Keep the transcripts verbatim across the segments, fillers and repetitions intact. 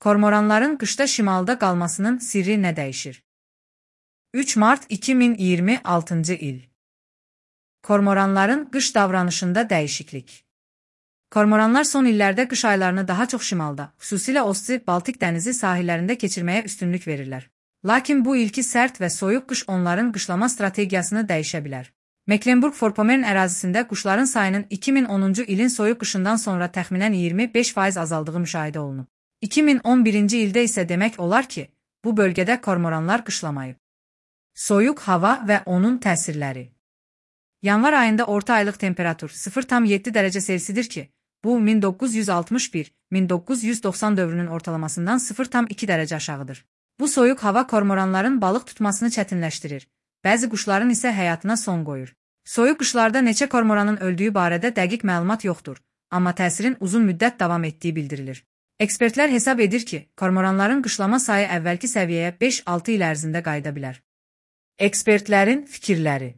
Kormoranların qışda şimalda qalmasının sirri nə dəyişir? üç mart iki min iyirmi altıncı il. Kormoranların qış davranışında dəyişiklik. Kormoranlar son illərdə qış aylarını daha çox şimalda, xüsusilə Osti, Baltik dənizi sahillərində keçirməyə üstünlük verirlər. Lakin bu ilki sərt və soyuq qış onların qışlama strategiyasını dəyişə bilər. Mecklenburg-Vorpommern ərazisində quşların sayının iki min onuncu ilin soyuq qışından sonra təxminən iyirmi beş faiz azaldığı müşahidə olunub. iki min on birinci ildə isə demək olar ki, bu bölgədə kormoranlar qışlamayıb. Soyuq hava və onun təsirləri. Yanvar ayında orta aylıq temperatur sıfır tam yeddi dərəcə Selsidir ki, bu min doqquz yüz altmış bir - min doqquz yüz doxsan dövrünün ortalamasından sıfır tam iki dərəcə aşağıdır. Bu soyuq hava kormoranların balıq tutmasını çətinləşdirir, bəzi quşların isə həyatına son qoyur. Soyuq qışlarda neçə kormoranın öldüyü barədə dəqiq məlumat yoxdur, amma təsirin uzun müddət davam etdiyi bildirilir. Ekspertlər hesab edir ki, kormoranların qışlama sayı əvvəlki səviyyəyə beş altı il ərzində qayıda bilər. Ekspertlərin fikirləri.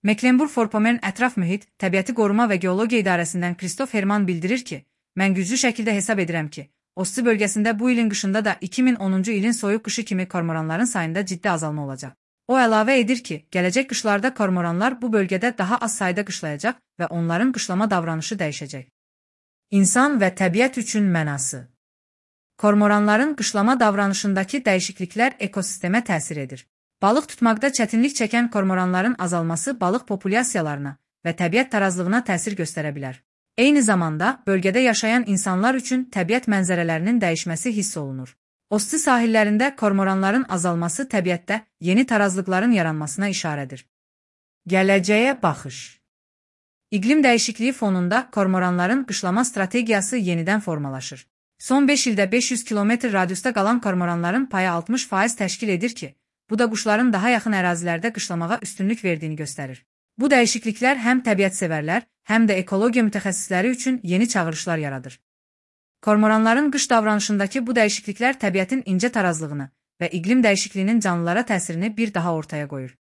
Mecklenburg-Vorpommern Ətraf Mühit, Təbiəti Qoruma və Geologiya İdarəsindən Kristof Herman bildirir ki, mən güclü şəkildə hesab edirəm ki, Osti bölgəsində bu ilin qışında da iki min onuncu ilin soyuq qışı kimi kormoranların sayında ciddi azalma olacaq. O əlavə edir ki, gələcək qışlarda kormoranlar bu bölgədə daha az sayda qışlayacaq və onların qışlama davranışı dəyişəcək. İnsan və təbiət üçün mənası. Kormoranların qışlama davranışındakı dəyişikliklər ekosistemə təsir edir. Balıq tutmaqda çətinlik çəkən kormoranların azalması balıq populyasiyalarına və təbiət tarazlığına təsir göstərə bilər. Eyni zamanda, bölgədə yaşayan insanlar üçün təbiət mənzərələrinin dəyişməsi hiss olunur. Osti sahillərində kormoranların azalması təbiətdə yeni tarazlıqların yaranmasına işarədir. Gələcəyə baxış. İqlim dəyişikliyi fonunda kormoranların qışlama strategiyası yenidən formalaşır. Son beş ildə beş yüz kilometr radiusda qalan kormoranların payı altmış faiz təşkil edir ki, bu da quşların daha yaxın ərazilərdə qışlamağa üstünlük verdiyini göstərir. Bu dəyişikliklər həm təbiətsevərlər, həm də ekologiya mütəxəssisləri üçün yeni çağırışlar yaradır. Kormoranların qış davranışındakı bu dəyişikliklər təbiətin incə tarazlığını və iqlim dəyişikliyinin canlılara təsirini bir daha ortaya qoyur.